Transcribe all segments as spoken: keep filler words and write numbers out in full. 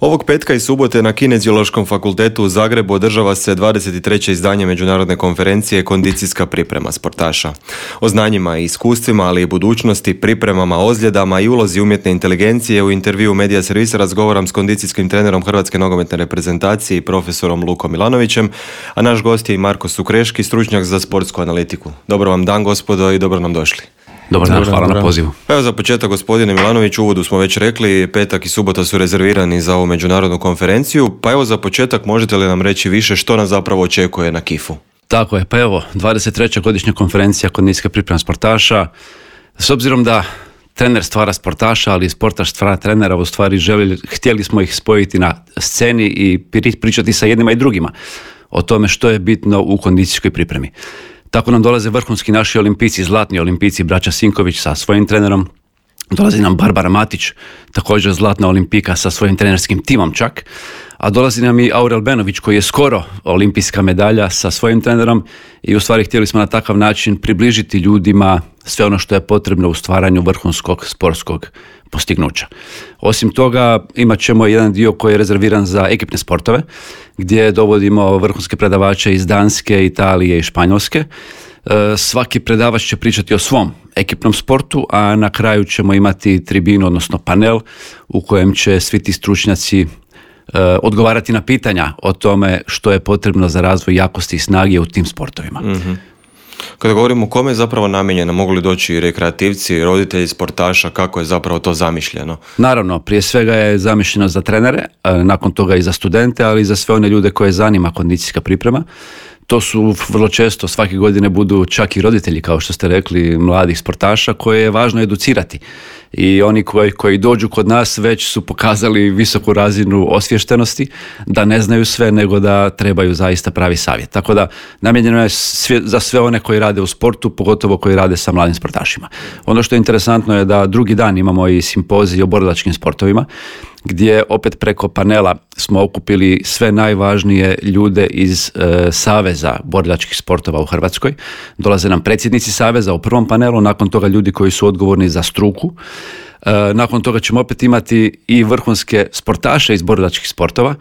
Ovog petka i subote na Kineziološkom fakultetu u Zagrebu održava se dvadeset treće izdanje međunarodne konferencije Kondicijska priprema sportaša. O znanjima i iskustvima, ali i budućnosti, pripremama, ozljedama i ulozi umjetne inteligencije u intervju Medija servisa razgovaram s kondicijskim trenerom Hrvatske nogometne reprezentacije i profesorom Lukom Milanovićem, a naš gost je i Marko Sukreški, stručnjak za sportsku analitiku. Dobro vam dan, gospodo, i dobro nam došli. Dobar dan, hvala na pozivu. Evo za početak, gospodine Milanović, u uvodu smo već rekli, petak i subota su rezervirani za ovu međunarodnu konferenciju, pa evo za početak možete li nam reći više što nas zapravo očekuje na kifu? Tako je, pa evo, dvadeset treća godišnja konferencija Kondicijska priprema sportaša. S obzirom da trener stvara sportaša, ali i sportaš stvara trenera, u stvari želi, htjeli smo ih spojiti na sceni i pričati sa jednima i drugima o tome što je bitno u kondicijskoj pripremi. Tako nam dolaze vrhunski naši olimpijci, zlatni olimpijci, braća Sinković sa svojim trenerom. Dolazi nam Barbara Matić, također zlatna olimpijka sa svojim trenerskim timom čak. A dolazi nam i Aurel Benović koji je skoro olimpijska medalja sa svojim trenerom i u stvari htjeli smo na takav način približiti ljudima sve ono što je potrebno u stvaranju vrhunskog sportskog postignuća. Osim toga imat ćemo jedan dio koji je rezerviran za ekipne sportove gdje dovodimo vrhunske predavače iz Danske, Italije i Španjolske. Svaki predavač će pričati o svom ekipnom sportu, a na kraju ćemo imati tribinu, odnosno panel u kojem će svi ti stručnjaci odgovarati na pitanja o tome što je potrebno za razvoj jakosti i snage u tim sportovima. Mm-hmm. Kada govorimo kome je zapravo namijenjeno, mogu li doći rekreativci, roditelji sportaša, kako je zapravo to zamišljeno? Naravno, prije svega je zamišljeno za trenere, nakon toga i za studente, ali i za sve one ljude koje zanima kondicijska priprema. To su vrlo često, svake godine budu čak i roditelji, kao što ste rekli, mladih sportaša koje je važno educirati. I oni koji, koji dođu kod nas već su pokazali visoku razinu osviještenosti, da ne znaju sve, nego da trebaju zaista pravi savjet. Tako da namijenjeno je sve, za sve one koji rade u sportu, pogotovo koji rade sa mladim sportašima. Ono što je interesantno je da drugi dan imamo i simpozij o borilačkim sportovima, gdje opet preko panela smo okupili sve najvažnije ljude iz e, Saveza borilačkih sportova u Hrvatskoj. Dolaze nam predsjednici Saveza u prvom panelu, nakon toga ljudi koji su odgovorni za struku. E, nakon toga ćemo opet imati i vrhunske sportaše iz borilačkih sportova,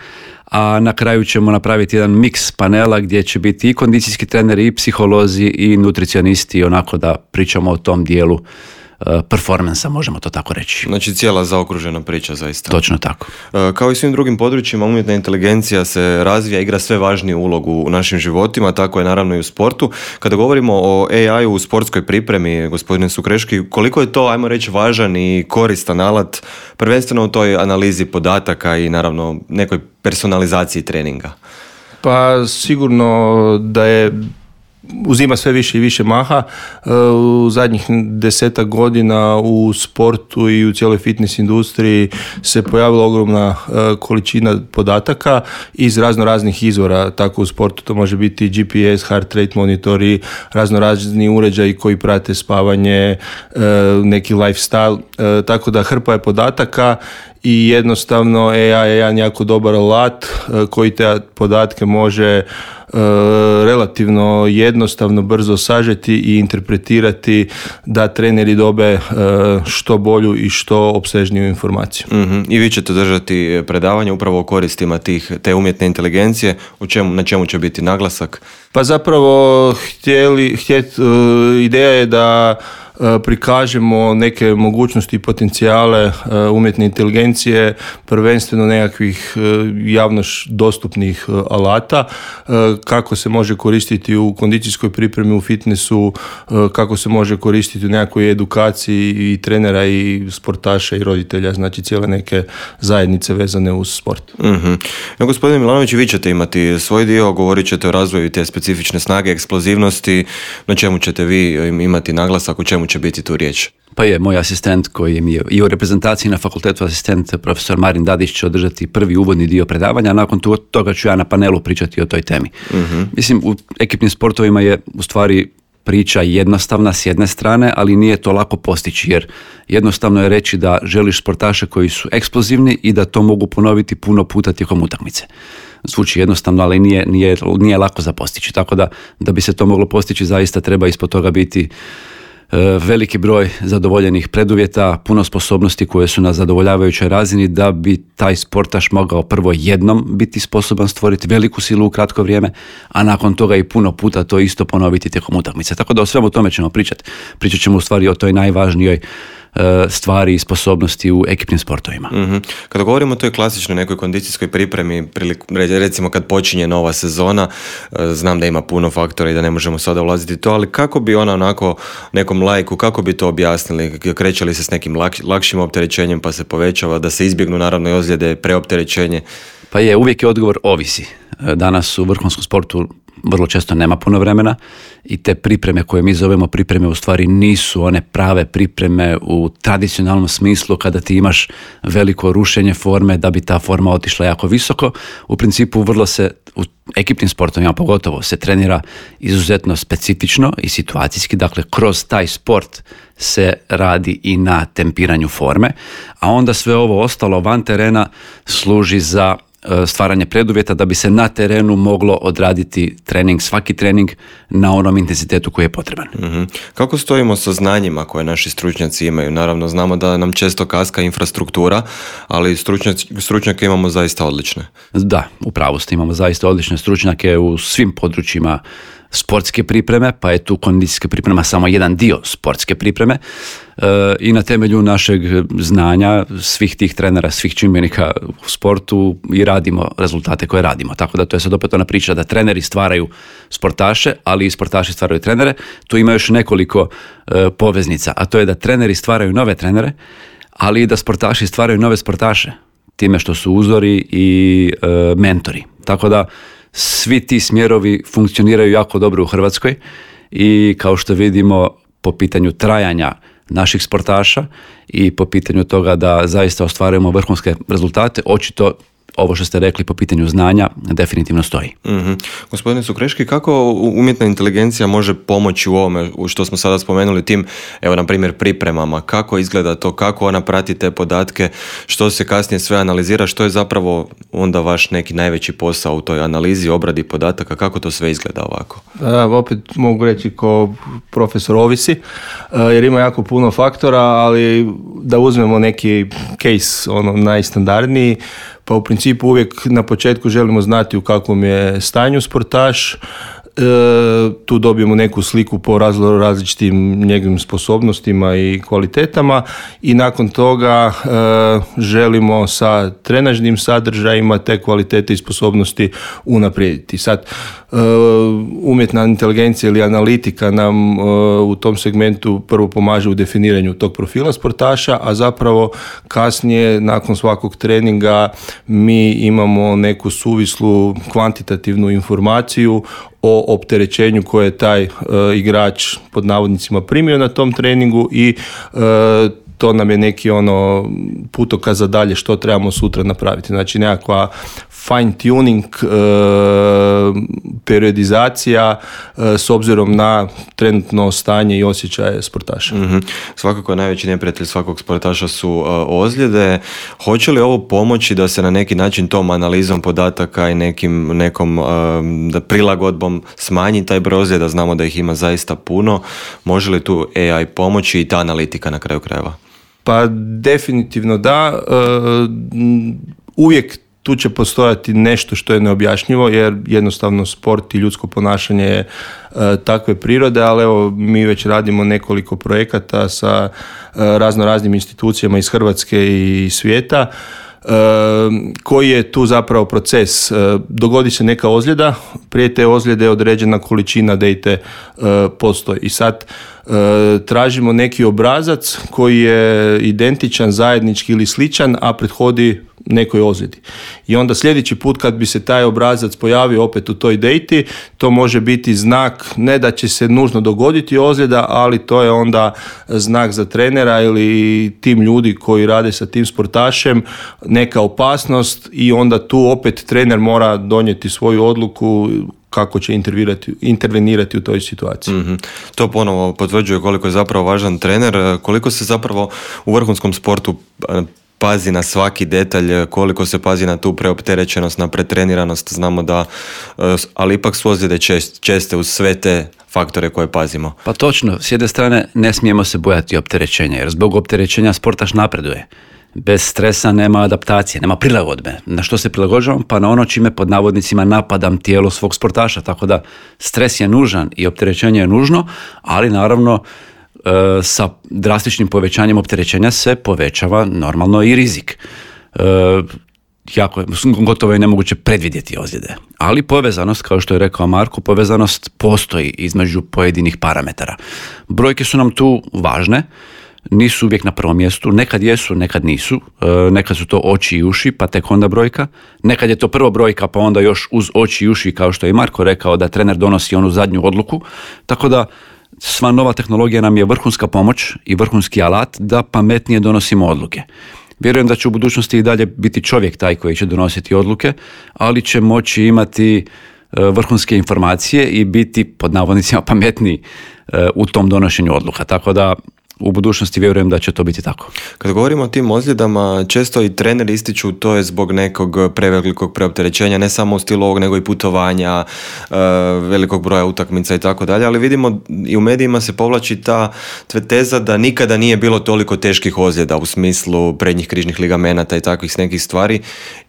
a na kraju ćemo napraviti jedan miks panela gdje će biti i kondicijski treneri, i psiholozi, i nutricionisti, onako da pričamo o tom dijelu performansa, možemo to tako reći. Znači cijela zaokružena priča zaista. Točno tako. Kao i svim drugim područjima, umjetna inteligencija se razvija, igra sve važniju ulogu u našim životima, tako je naravno i u sportu. Kada govorimo o A I-u u sportskoj pripremi, gospodine Sukreški, koliko je to, ajmo reći, važan i koristan alat, prvenstveno u toj analizi podataka i naravno nekoj personalizaciji treninga? Pa sigurno da je uzima sve više i više maha. U zadnjih desetak godina u sportu i u cijeloj fitness industriji se pojavila ogromna količina podataka iz razno raznih izvora. Tako u sportu to može biti G P S, heart rate monitori, razno razni uređaji koji prate spavanje, neki lifestyle. Tako da hrpa je podataka i jednostavno A I je jedan jako dobar alat koji te podatke može relativno jednostavno, brzo sažeti i interpretirati da treneri dobe što bolju i što opsežniju informaciju. Mm-hmm. I vi ćete držati predavanje upravo o koristima tih, te umjetne inteligencije, u čemu, na čemu će biti naglasak? Pa zapravo htjeli, htjet, ideja je da prikažemo neke mogućnosti i potencijale umjetne inteligencije, prvenstveno nekakvih javno dostupnih alata, kako se može koristiti u kondicijskoj pripremi, u fitnessu, kako se može koristiti u nekakvoj edukaciji i trenera i sportaša i roditelja, znači cijele neke zajednice vezane uz sport. Mm-hmm. No, gospodine Milanović, vi ćete imati svoj dio, govorit ćete o razvoju te specifične snage, eksplozivnosti, na čemu ćete vi imati naglasak, u čemu će biti tu riječ? Pa je, moj asistent koji mi je i u reprezentaciji na fakultetu asistent, profesor Marin Dadić, će održati prvi uvodni dio predavanja, a nakon toga ću ja na panelu pričati o toj temi. Mm-hmm. Mislim, u ekipnim sportovima je u stvari priča jednostavna s jedne strane, ali nije to lako postići, jer jednostavno je reći da želiš sportaše koji su eksplozivni i da to mogu ponoviti puno puta tijekom utakmice. Zvuči jednostavno, ali nije, nije, nije lako za postići. Tako da, da bi se to moglo postići, zaista treba ispod toga biti veliki broj zadovoljenih preduvjeta, puno sposobnosti koje su na zadovoljavajućoj razini da bi taj sportaš mogao prvo jednom biti sposoban stvoriti veliku silu u kratko vrijeme, a nakon toga i puno puta to isto ponoviti tijekom utakmice. Tako da o svemu tome ćemo pričati. Pričat ćemo u stvari o toj najvažnijoj stvari i sposobnosti u ekipnim sportovima. Mm-hmm. Kada govorimo o toj klasičnoj nekoj kondicijskoj pripremi, recimo kad počinje nova sezona, znam da ima puno faktora i da ne možemo sada ulaziti u to, ali kako bi ona onako nekom laiku, kako bi to objasnili? Kreće li se s nekim lak, lakšim opterećenjem pa se povećava, da se izbjegnu naravno i ozljede, preopterećenje? Pa je, uvijek je odgovor ovisi. Danas u vrhunskom sportu vrlo često nema puno vremena i te pripreme koje mi zovemo pripreme u stvari nisu one prave pripreme u tradicionalnom smislu kada ti imaš veliko rušenje forme da bi ta forma otišla jako visoko. U principu vrlo se u ekipnim sportovima pogotovo se trenira izuzetno specifično i situacijski, dakle kroz taj sport se radi i na tempiranju forme, a onda sve ovo ostalo van terena služi za stvaranje preduvjeta da bi se na terenu moglo odraditi trening, svaki trening na onom intenzitetu koji je potreban. Mm-hmm. Kako stojimo sa znanjima koje naši stručnjaci imaju? Naravno, znamo da nam često kaska infrastruktura, ali stručnjaci, stručnjake imamo zaista odlične. Da, u pravu ste, imamo zaista odlične stručnjake u svim područjima sportske pripreme, pa je tu kondicijska priprema samo jedan dio sportske pripreme e, i na temelju našeg znanja svih tih trenera, svih čimbenika u sportu i radimo rezultate koje radimo. Tako da to je sad opet ona priča da treneri stvaraju sportaše, ali i sportaši stvaraju trenere. Tu ima još nekoliko e, poveznica, a to je da treneri stvaraju nove trenere, ali i da sportaši stvaraju nove sportaše time što su uzori i e, mentori. Tako da svi ti smjerovi funkcioniraju jako dobro u Hrvatskoj i kao što vidimo po pitanju trajanja naših sportaša i po pitanju toga da zaista ostvarujemo vrhunske rezultate, očito ovo što ste rekli po pitanju znanja definitivno stoji. Mm-hmm. Gospodine Sukreški, kako umjetna inteligencija može pomoći u ovome što smo sada spomenuli, tim, evo na primjer pripremama, kako izgleda to, kako ona prati te podatke, što se kasnije sve analizira, što je zapravo onda vaš neki najveći posao u toj analizi, obradi podataka, kako to sve izgleda ovako? A, opet mogu reći ko profesor ovisi, jer ima jako puno faktora, ali da uzmemo neki case, ono najstandardniji, pa u principu uvijek na početku želimo znati u kakvom je stanju sportaš, e, tu dobijemo neku sliku po razlo, različitim njegovim sposobnostima i kvalitetama i nakon toga e, želimo sa trenažnim sadržajima te kvalitete i sposobnosti unaprijediti. Sad, e, umjetna inteligencija ili analitika nam e, u tom segmentu prvo pomaže u definiranju tog profila sportaša, a zapravo kasnije nakon svakog treninga mi imamo neku suvislu kvantitativnu informaciju o opterećenju koje je taj e, igrač pod navodnicima primio na tom treningu i e, to nam je neki ono putokaz za dalje što trebamo sutra napraviti. Znači nekakva fine tuning, e, periodizacija e, s obzirom na trenutno stanje i osjećaje sportaša. Mm-hmm. Svakako najveći neprijatelj svakog sportaša su uh, ozljede. Hoće li ovo pomoći da se na neki način tom analizom podataka i nekim, nekom uh, da prilagodbom smanji taj broj ozljeda? Znamo da ih ima zaista puno. Može li tu A I pomoći i ta analitika na kraju krajeva? Pa definitivno da. Uh, uvijek tu će postojati nešto što je neobjašnjivo, jer jednostavno sport i ljudsko ponašanje je e, takve prirode, ali evo mi već radimo nekoliko projekata sa e, razno raznim institucijama iz Hrvatske i svijeta. E, koji je tu zapravo proces? E, dogodi se neka ozljeda, prije te ozljede određena količina date e, postoji i sad e, tražimo neki obrazac koji je identičan, zajednički ili sličan, a prethodi nekoj ozljedi. I onda sljedeći put kad bi se taj obrazac pojavio opet u toj dejti, to može biti znak ne da će se nužno dogoditi ozljeda, ali to je onda znak za trenera ili tim ljudi koji rade sa tim sportašem, neka opasnost i onda tu opet trener mora donijeti svoju odluku kako će intervenirati u toj situaciji. Mm-hmm. To ponovo potvrđuje koliko je zapravo važan trener, koliko se zapravo u vrhunskom sportu pazi na svaki detalj, koliko se pazi na tu preopterećenost, na pretreniranost. Znamo da, ali ipak su ozljede čest, česte uz sve te faktore koje pazimo? Pa točno, s jedne strane ne smijemo se bojati opterećenja, jer zbog opterećenja sportaš napreduje. Bez stresa nema adaptacije, nema prilagodbe. Na što se prilagođavam? Pa na ono čime pod navodnicima napadam tijelo svog sportaša. Tako da stres je nužan i opterećenje je nužno, ali naravno e, sa drastičnim povećanjem opterećenja se povećava normalno i rizik. E, jako, gotovo je nemoguće predvidjeti ozljede. Ali povezanost, kao što je rekao Marko, povezanost postoji između pojedinih parametara. Brojke su nam tu važne, nisu uvijek na prvom mjestu, nekad jesu, nekad nisu, e, nekad su to oči i uši, pa tek onda brojka, nekad je to prvo brojka, pa onda još uz oči i uši, kao što je i Marko rekao, da trener donosi onu zadnju odluku, tako da sva nova tehnologija nam je vrhunska pomoć i vrhunski alat da pametnije donosimo odluke. Vjerujem da će u budućnosti i dalje biti čovjek taj koji će donositi odluke, ali će moći imati e, vrhunske informacije i biti pod navodnicima pametniji e, u tom donošenju odluka, tako da u budućnosti vjerujem da će to biti tako. Kad govorimo o tim ozljedama, često i treneri ističu to je zbog nekog prevelikog preopterećenja, ne samo u stilu ovog, nego i putovanja, velikog broja utakmica i tako dalje, ali vidimo i u medijima se povlači ta teza da nikada nije bilo toliko teških ozljeda u smislu prednjih križnih ligamenata i takvih nekih stvari.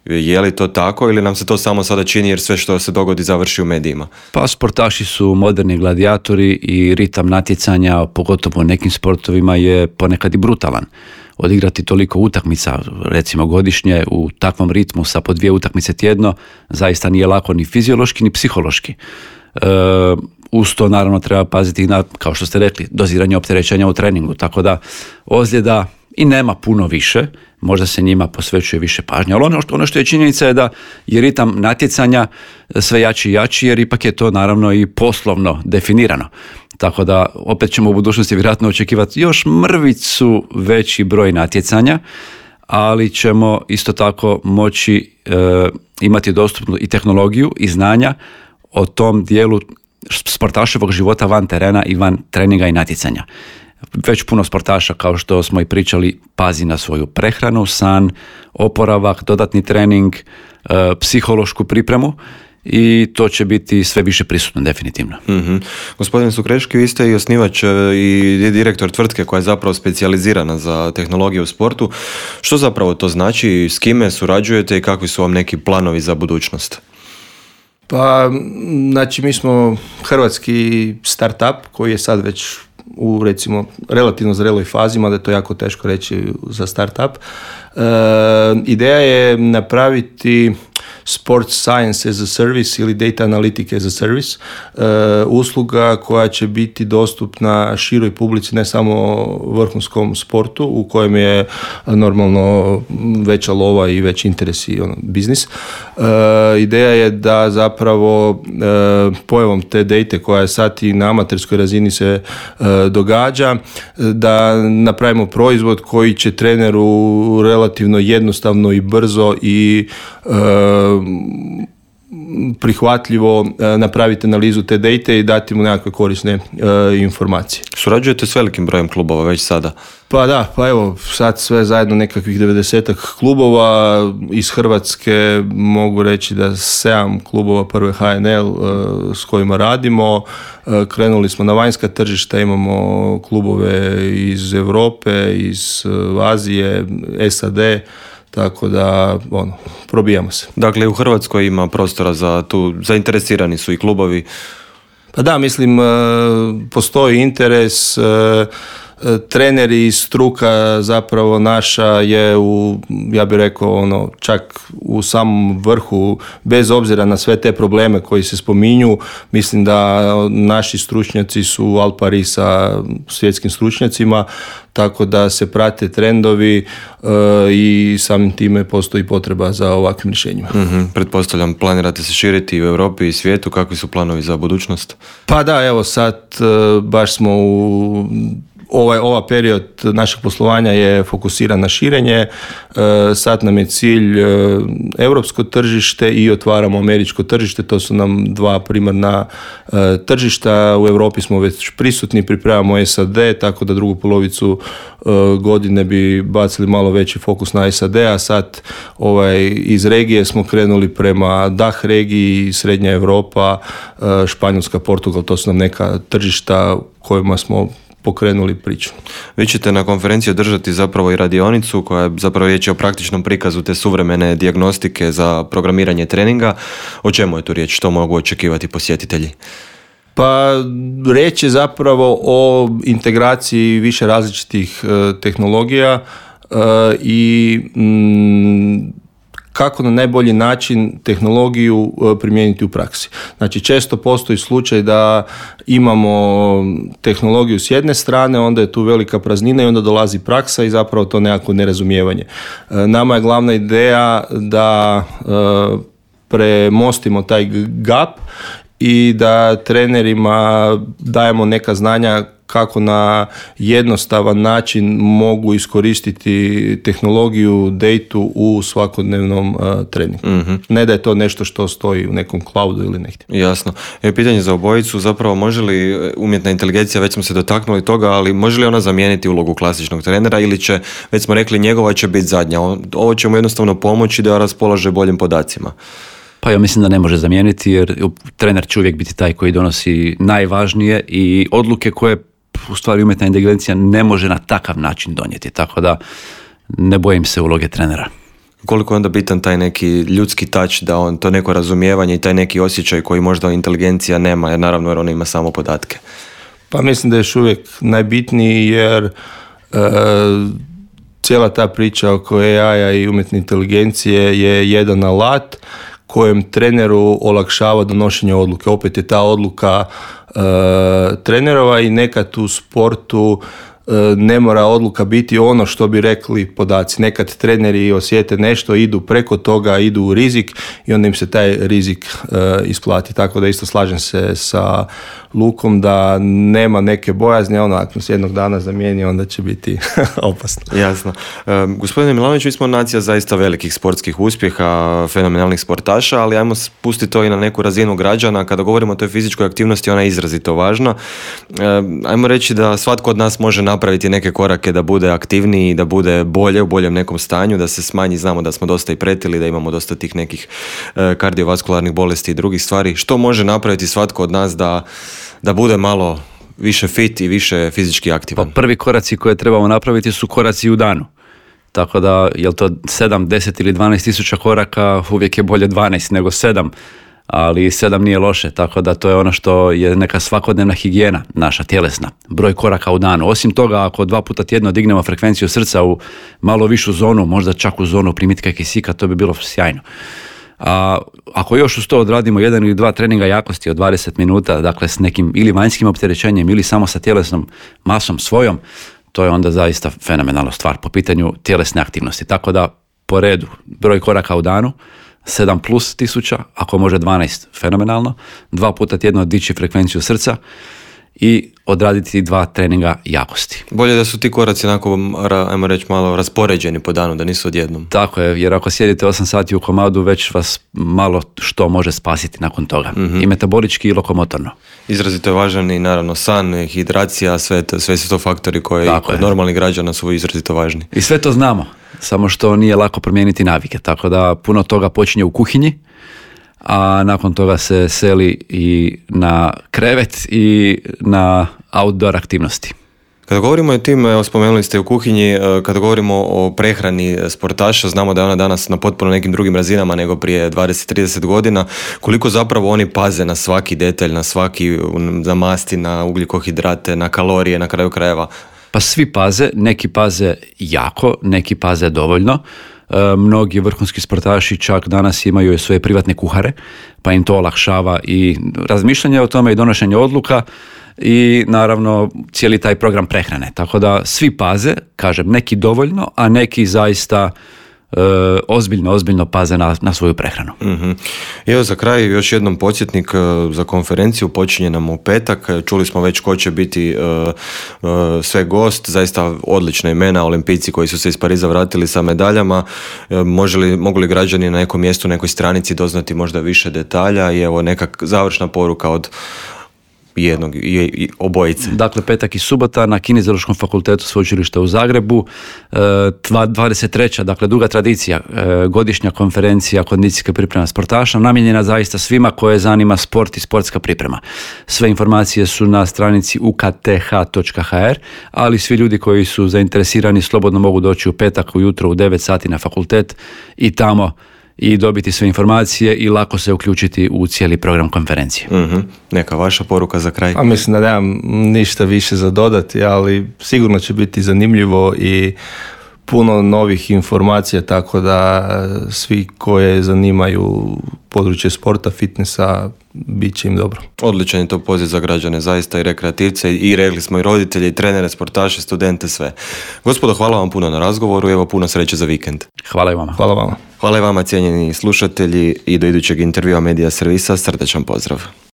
Je li to tako ili nam se to samo sada čini jer sve što se dogodi završi u medijima? Pa sportaši su moderni gladijatori i ritam natjecanja, pogotovo u nekim sportovima, je ponekad i brutalan. Odigrati toliko utakmica, recimo godišnje, u takvom ritmu sa po dvije utakmice tjedno, zaista nije lako ni fiziološki ni psihološki. E, uz to naravno treba paziti na, kao što ste rekli, doziranje opterećenja u treningu, tako da ozljeda i nema puno više, možda se njima posvećuje više pažnje, ali ono što, ono što je činjenica je da je ritam natjecanja sve jači i jači, jer ipak je to naravno i poslovno definirano. Tako da opet ćemo u budućnosti vjerojatno očekivati još mrvicu veći broj natjecanja, ali ćemo isto tako moći e, imati dostupnu i tehnologiju i znanja o tom dijelu sportaševog života van terena i van treninga i natjecanja. Već puno sportaša, kao što smo i pričali, pazi na svoju prehranu, san, oporavak, dodatni trening, e, psihološku pripremu i to će biti sve više prisutno definitivno. Mm-hmm. Gospodin Sukreški, vi ste i osnivač i direktor tvrtke koja je zapravo specijalizirana za tehnologiju u sportu. Što zapravo to znači, s kime surađujete i kakvi su vam neki planovi za budućnost? Pa, znači mi smo hrvatski startup koji je sad već u recimo relativno zreloj fazi, mada je to jako teško reći za startup. E, ideja je napraviti Sports Science as a Service ili Data Analytic as a Service, e, usluga koja će biti dostupna široj publici, ne samo vrhunskom sportu u kojem je normalno veća lova i veći interes i ono, biznis. E, ideja je da zapravo e, pojavom te date koja je sad i na amaterskoj razini se e, događa, da napravimo proizvod koji će treneru relativno jednostavno i brzo i e, prihvatljivo napraviti analizu te date i dati mu nekakve korisne e, informacije. Surađujete s velikim brojem klubova već sada? Pa da, pa evo sad sve zajedno nekakvih devedesetak klubova iz Hrvatske, mogu reći da sedam klubova prve H N L e, s kojima radimo. E, krenuli smo na vanjska tržišta, imamo klubove iz Europe, iz Azije, S A D, tako da, ono, probijamo se. Dakle, u Hrvatskoj ima prostora za tu, zainteresirani su i klubovi? Pa da, mislim, postoji interes, treneri i struka zapravo naša je u, ja bih rekao, ono, čak u samom vrhu, bez obzira na sve te probleme koji se spominju. Mislim da naši stručnjaci su al pari sa svjetskim stručnjacima, tako da se prate trendovi e, i samim time postoji potreba za ovakvim rješenjima. Mm-hmm. Pretpostavljam, planirate se širiti u Europi i svijetu, kakvi su planovi za budućnost? Pa da, evo sad e, baš smo u ovaj, ova period našeg poslovanja je fokusiran na širenje. E, sad nam je cilj e, europsko tržište i otvaramo američko tržište. To su nam dva primarna e, tržišta. U Europi smo već prisutni, pripremamo S A D, tako da drugu polovicu e, godine bi bacili malo veći fokus na S A D, a sad ovaj, iz regije smo krenuli prema D A H regiji, Srednja Europa, e, Španjolska, Portugal, to su nam neka tržišta kojima smo pokrenuli priču. Vi ćete na konferenciji održati zapravo i radionicu koja je zapravo riječ o praktičnom prikazu te suvremene dijagnostike za programiranje treninga. O čemu je tu riječ? Što mogu očekivati posjetitelji? Pa riječ je zapravo o integraciji više različitih e, tehnologija e, i mm, kako na najbolji način tehnologiju primijeniti u praksi. Znači, često postoji slučaj da imamo tehnologiju s jedne strane, onda je tu velika praznina i onda dolazi praksa i zapravo to nekako nerazumijevanje. Nama je glavna ideja da premostimo taj gap i da trenerima dajemo neka znanja kako na jednostavan način mogu iskoristiti tehnologiju, datu u svakodnevnom uh, treningu. Mm-hmm. Ne da je to nešto što stoji u nekom cloudu ili negdje. Jasno. E, pitanje za obojicu, zapravo može li umjetna inteligencija, već smo se dotaknuli toga, ali može li ona zamijeniti ulogu klasičnog trenera ili će, već smo rekli, njegova će biti zadnja. Ovo će mu jednostavno pomoći da raspolaže boljim podacima. Pa ja mislim da ne može zamijeniti, jer trener će uvijek biti taj koji donosi najvažnije i odluke koje u stvari umjetna inteligencija ne može na takav način donijeti, tako da ne bojim se uloge trenera. Koliko je onda bitan taj neki ljudski touch, da on to neko razumijevanje i taj neki osjećaj koji možda inteligencija nema, jer naravno jer ona ima samo podatke? Pa mislim da je još uvijek najbitniji, jer e, cijela ta priča oko A I-a i umjetne inteligencije je jedan alat kojem treneru olakšava donošenje odluke. Opet je ta odluka e, trenerova i nekad u sportu e, ne mora odluka biti ono što bi rekli podaci. Nekad treneri osjete nešto, idu preko toga, idu u rizik i onda im se taj rizik e, isplati. Tako da isto slažem se sa Lukom da nema neke bojazni, ono ako se jednog dana zamijeni, onda će biti opasno. Jasno. E, gospodine Milanović, mi smo nacija zaista velikih sportskih uspjeha, fenomenalnih sportaša, ali ajmo spustiti to i na neku razinu građana. Kada govorimo o toj fizičkoj aktivnosti, ona je izrazito važna. E, ajmo reći da svatko od nas može napraviti neke korake da bude aktivniji, da bude bolje, u boljem nekom stanju, da se smanji, znamo da smo dosta i pretili, da imamo dosta tih nekih e, kardiovaskularnih bolesti i drugih stvari. Što može napraviti svatko od nas da da bude malo više fit i više fizički aktivan? Pa prvi koraci koje trebamo napraviti su koraci u danu. Tako da, je li to sedam, deset ili dvanaest tisuća koraka, uvijek je bolje dvanaest nego sedam, ali sedam nije loše, tako da to je ono što je neka svakodnevna higijena naša tjelesna, broj koraka u danu. Osim toga, ako dva puta tjedno dignemo frekvenciju srca u malo višu zonu, možda čak u zonu primitka kisika, to bi bilo sjajno. A ako još uz to odradimo jedan ili dva treninga jakosti od dvadeset minuta, dakle s nekim ili vanjskim opterećenjem ili samo sa tjelesnom masom svojom, to je onda zaista fenomenalna stvar po pitanju tjelesne aktivnosti. Tako da po redu broj koraka u danu, sedam plus tisuća, ako može dvanaest, fenomenalno, dva puta tjedno dići frekvenciju srca i odraditi dva treninga jakosti. Bolje da su ti koraci onako, ajmo reći, malo raspoređeni po danu, da nisu odjednom. Tako je, jer ako sjedite osam sati u komadu, već vas malo što može spasiti nakon toga. Mm-hmm. I metabolički i lokomotorno. Izrazito je važan i naravno san, hidracija, sve, to, sve su to faktori koji kod normalnih građana su izrazito važni. I sve to znamo, samo što nije lako promijeniti navike, tako da puno toga počinje u kuhinji, a nakon toga se seli i na krevet i na outdoor aktivnosti. Kada govorimo o tim, evo, spomenuli ste u kuhinji, kada govorimo o prehrani sportaša, znamo da je ona danas na potpuno nekim drugim razinama nego prije dvadeset do trideset godina. Koliko zapravo oni paze na svaki detalj, na svaki, na masti, na ugljikohidrate, na kalorije, na kraju krajeva? Pa svi paze, neki paze jako, neki paze dovoljno. E, mnogi vrhunski sportaši čak danas imaju svoje privatne kuhare, pa im to olakšava i razmišljanje o tome i donošenje odluka i naravno cijeli taj program prehrane. Tako da svi paze, kažem, neki dovoljno, a neki zaista ozbiljno, ozbiljno paze na, na svoju prehranu. Mm-hmm. Evo za kraj još jednom podsjetnik uh, za konferenciju, počinje nam u petak, čuli smo već ko će biti uh, uh, sve gost, zaista odlična imena, olimpijci koji su se iz Pariza vratili sa medaljama, uh, može li, mogu li građani na nekom mjestu, nekoj stranici doznati možda više detalja i evo neka završna poruka od jednog i, i obojice. Dakle, petak i subota na Kineziološkom fakultetu Sveučilišta u Zagrebu, dvadeset treća dakle duga tradicija, godišnja konferencija kondicijske pripreme sportaša, namijenjena zaista svima koje zanima sport i sportska priprema. Sve informacije su na stranici u k t h točka h r, ali svi ljudi koji su zainteresirani slobodno mogu doći u petak ujutro u devet sati na fakultet i tamo i dobiti sve informacije i lako se uključiti u cijeli program konferencije. Mm-hmm. Neka vaša poruka za kraj? A mislim da nemam ništa više za dodati, ali sigurno će biti zanimljivo i puno novih informacija, tako da svi koje zanimaju područje sporta, fitnessa, bit će im dobro. Odličan je to poziv za građane, zaista i rekreativce, i rekli smo i roditelje, i trenere, sportaše, studente, sve. Gospodo, hvala vam puno na razgovoru i evo puno sreće za vikend. Hvala i vama. Hvala vama. Hvala i vama, cijenjeni slušatelji, i do idućeg intervjua Medija Servisa, srdečan pozdrav.